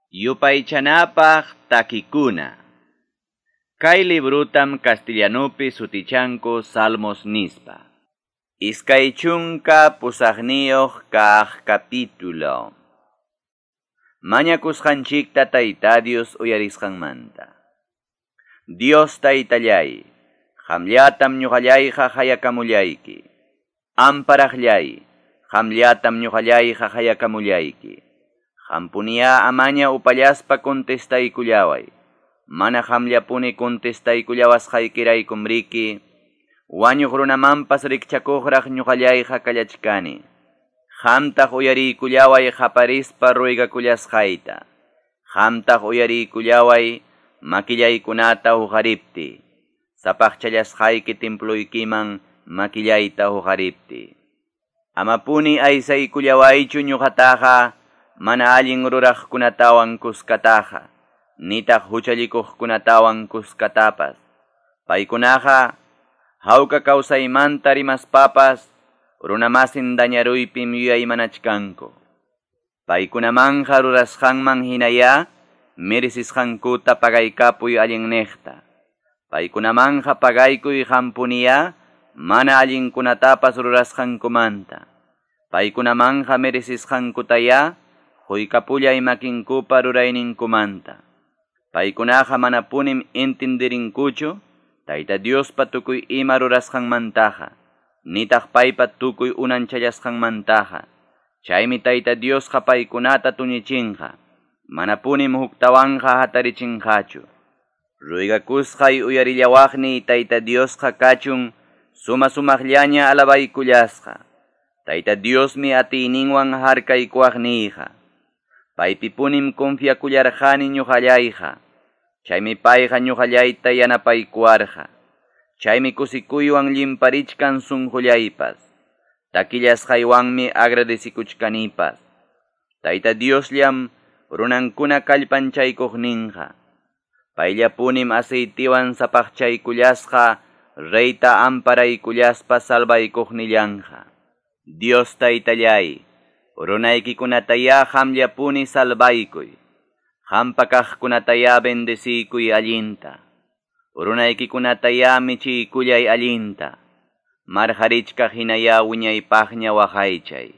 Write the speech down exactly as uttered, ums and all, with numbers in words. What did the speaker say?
Yupaychanapaq takikuna. Kay librutam castellanupi sutichanku Salmos nispa. Iskay chunka pusaqniyuq kaq capítulo. Mañakusqanchikta Tayta Dios uyarisqanmanta. Dios Taytallay, qamllatam ñuqallayqa hayakamullayki. Amparaqllay, qamllatam ñuqallayqa hayakamullayki. Qampuniya amaña upallaspa contestaykullaway. Mana qamllapuni contestaykullawasqaykiraykum riki, wañuq runamanpas rikchakuqraq ñuqallayqa kallachkani. Qamtaq uyariykullaway qaparispa ruegakullasqayta. Qamtaq uyariykullaway makillaykunata huqaripti. Sapaqchallasqayki temploykiman makillayta huqaripti. Amapuni aysaykullawaychu ñuqataqa mana allin ruraqkunatawan kuskataqa, nitaq huchallikuqkunatawan kuskatapas. Paykunaqa hawka kawsaymanta rimaspapas runamasin dañaruypim yuyaymanachkanku. Paykunamanja rurasqanman hinaya merecisqankuta pagaykapuy allinniqta. Paykunamanja pagaykuy qampuniya mana allinkunatapas rurasqankumanta. Paykunamanja merecisqankutaya quykapullay makinkupa rurayninkumanta. Paykunaqa manapunim entendirinkuchu Tayta Diospa tukuy ima rurasqanmantaqa, nitaq paypa tukuy unanchallasqanmantaqa. Chaymi Tayta Diosqa paykunata tuñichinqa, manapunim huktawanqa hatarichinqachu. Ruegakusqay uyarillawaqniy Tayta Diosqa kachun suma sumaqllaña alabaykullasqa. Tayta Diosmi atiyninwan harkaykuwaqniyqa. Paypipunim confiakullarqani ñuqallayqa. Chaymi payqa ñuqallayta yanapaykuwarqa. Chaymi kusikuywan llimparichkan sunqullaypas. Takillasqaywanmi agradecikuchkanipas. Tayta Diosllam runankuna kallpanchaykuqninqa. Payllapunim aceitiwan sapaqchaykullasqa reyta amparaykullaspa salvaykuqnillanqa. Dios Taytallay, runaykikunataya qamllapuni salvaykuy. Qampa kaqkunataya bendeciykuy allinta. Runaykikunataya michiykullay allinta. Marqarichkaq hinaya wiñaypaqña waqaychay.